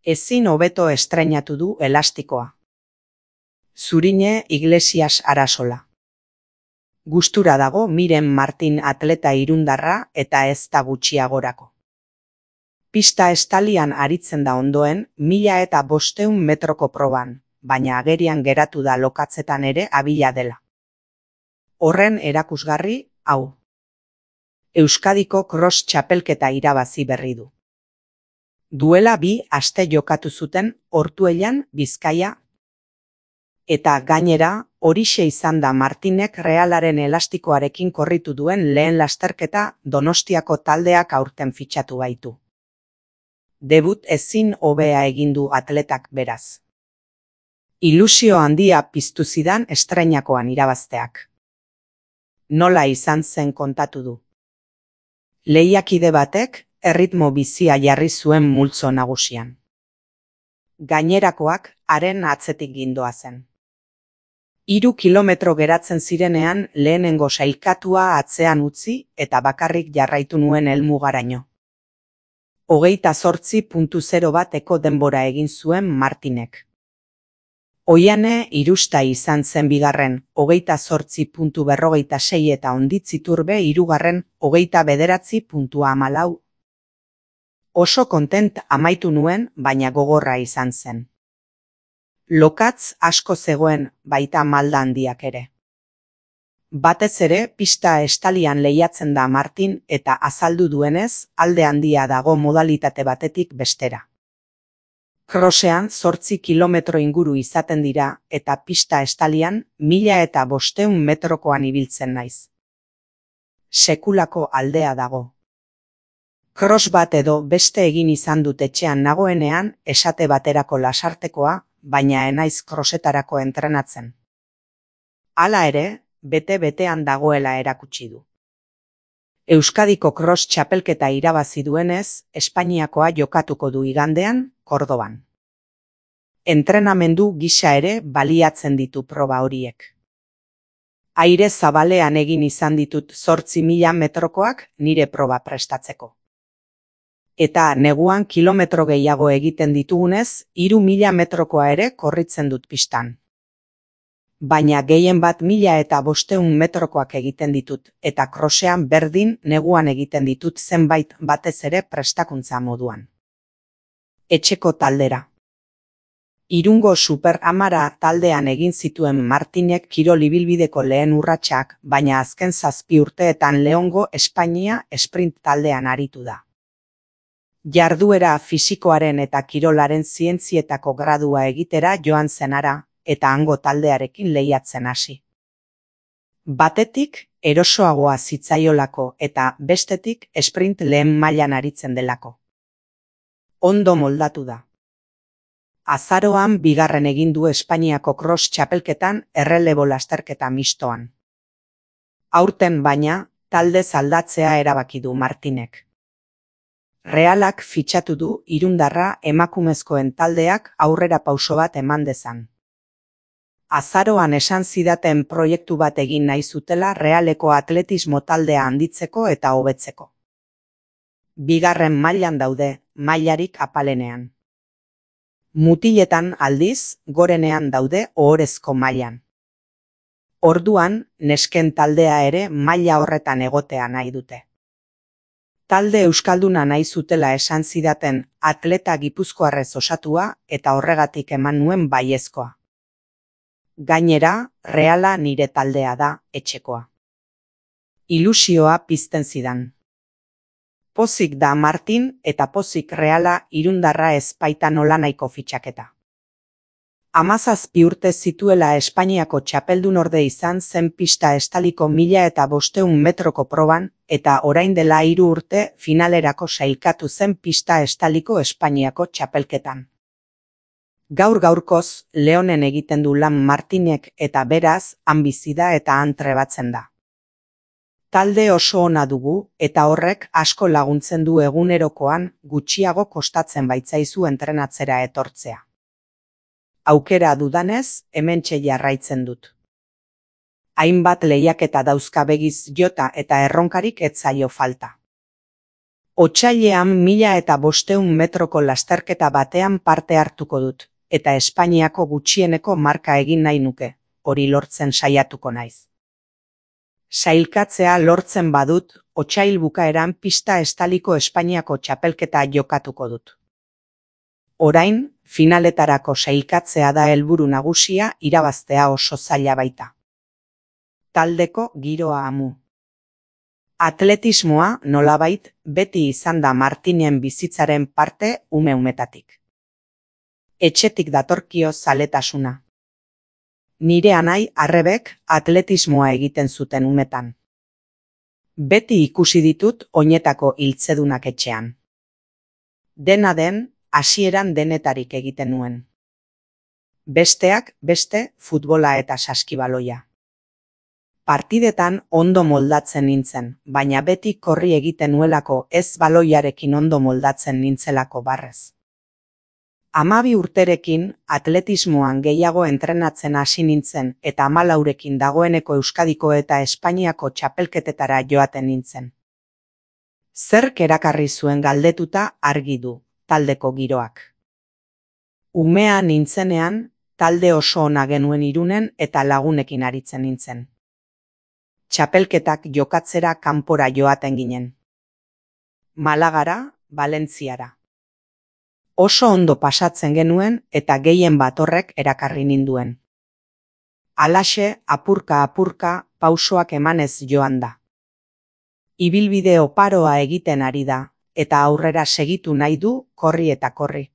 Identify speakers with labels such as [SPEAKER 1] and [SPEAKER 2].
[SPEAKER 1] Ezin hobeto estreinatu du elastikoa. Zurine Iglesias Arasola. Gustura dago Miren Martin atleta irundarra eta ez da gutxiagorako. Pista estalian aritzen da ondoen 1500 metroko proban, baina agerian geratu da lokatzetan ere abila dela. Horren erakusgarri, hau. Euskadiko cross txapelketa irabazi berri du. Duela 2 aste jokatu zuten Ortuellan, Bizkaia. Eta gainera, horixe izan da Martinek Realaren elastikoarekin korritu duen lehen lasterketa Donostiako taldeak aurten fitxatu baitu. Debut ezin hobea egin du atletak beraz. Ilusio handia piztu zidan estreinakoan irabazteak. Nola izan zen kontatu du. Lehiakide batek erritmo bizia jarri zuen multzo nagusian. Gainerakoak haren atzetik gindoazen. 3 kilometro geratzen zirenean lehenengo sailkatua atzean utzi eta bakarrik jarraitu nuen helmugaraino. 28.0 bateko denbora egin zuen Martinek. Oiane Irusta izan zen bigarren, 28.46 eta Onditziturbe hirugarren, 29.14. Oso kontent amaitu nuen, baina gogorra izan zen. Lokatz asko zegoen, baita malda handiak ere. Batez ere, pista estalian lehiatzen da Martin eta azaldu duenez, alde handia dago modalitate batetik bestera. Crossean 8 kilometro inguru izaten dira eta pista estalian 1500 metrokoan ibiltzen naiz. Sekulako aldea dago. Cross bat edo beste egin izan dut etxean nagoenean esate baterako lasartekoa, baina enaiz crossetarako entrenatzen. Hala ere, bete-betean dagoela erakutsi du. Euskadiko cross txapelketa irabazi duenez, Espainiakoa jokatuko du igandean, Kordoban. Entrenamendu gisa ere baliatzen ditu proba horiek. Aire zabalean egin izan ditut 8.000 metrokoak nire proba prestatzeko. Eta neguan kilometro gehiago egiten ditugunez, 3.000 metrokoa ere korritzen dut pistan. Baina gehien bat 1500 metrokoak egiten ditut, eta crossean berdin neguan egiten ditut zenbait batez ere prestakuntza moduan. Etxeko taldera. Irungo Super Amara taldean egin zituen Martinek kirol ibilbideko lehen urratsak, baina azken 7 urteetan Leongo Espainia sprint taldean aritu da. Jarduera fisikoaren eta kirolaren zientzietako gradua egitera joan zenara, eta hango taldearekin lehiatzen hasi. Batetik erosoagoa zitzaiolako eta bestetik sprint lehen mailan aritzen delako. Ondo moldatu da. Azaroan bigarren egin du Espainiako cross txapelketan errelebo lasterketa mistoan. Aurten baina, taldez aldatzea erabaki du Martinek. Realak fitxatu du irundarra emakumezkoen taldeak aurrera pauso bat eman dezan. Azaroan esan zidaten proiektu bat egin nahi zutela Realeko atletismo taldea handitzeko eta hobetzeko. Bigarren mailan daude, mailarik apalenean. Mutiletan aldiz, gorenean daude ohorezko mailan. Orduan, nesken taldea ere maila horretan egotea nahi dute. Talde euskalduna nahi zutela esan zidaten atleta gipuzkoarrez osatua eta horregatik eman nuen baiezkoa. Gainera, Reala nire taldea da, etxekoa. Ilusioa pizten zidan. Pozik da Martin eta pozik Reala irundarra ez baita nolanahiko fitxaketa. 17 urte zituela Espainiako txapeldunorde izan zen pista estaliko 1500 metroko proban eta orain dela 3 urte finalerako sailkatu zen pista estaliko Espainiako txapelketan. Gaur-gaurkoz, Leonen egiten du lan Martinek eta beraz, han bizi da eta han trebatzen da. Talde oso ona dugu eta horrek asko laguntzen du egunerokoan gutxiago kostatzen baitzaizu entrenatzera etortzea. Aukera dudanez, hementxe jarraitzen dut. Hainbat lehiaketa dauzka begiz jota eta erronkarik ez zaio falta. Otsailean 1500 metroko lasterketa batean parte hartuko dut, eta Espainiako gutxieneko marka egin nahi nuke, hori lortzen saiatuko naiz. Sailkatzea lortzen badut, otsail bukaeran pista estaliko Espainiako txapelketa jokatuko dut. Orain, finaletarako sailkatzea da helburu nagusia, irabaztea oso zaila baita. Taldeko giroa amu. Atletismoa, nolabait, beti izan da Martinen bizitzaren parte ume-umetatik. Etxetik datorkio zaletasuna. Nire anai Arrebek atletismoa egiten zuten umetan. Beti ikusi ditut oinetako hiltzedunak etxean. Dena den, hasieran denetarik egiten nuen. Besteak beste futbola eta saskibaloia. Partidetan ondo moldatzen nintzen, baina beti korri egiten nuelako ez baloiarekin ondo moldatzen nintzelako barrez. 12 urterekin atletismoan gehiago entrenatzen hasi nintzen eta 14rekin dagoeneko Euskadiko eta Espainiako txapelketetara joaten nintzen. Zerk erakarri zuen galdetuta argi du, taldeko giroak. Umea nintzenean, talde oso ona genuen Irunen eta lagunekin aritzen nintzen. Txapelketak jokatzera kanpora joaten ginen. Malagara, Valentziara. Oso ondo pasatzen genuen eta gehien bat horrek erakarri ninduen. Halaxe, apurka-apurka, pausoak emanez joan da. Ibilbide oparoa egiten ari da, eta aurrera segitu nahi du korri eta korri.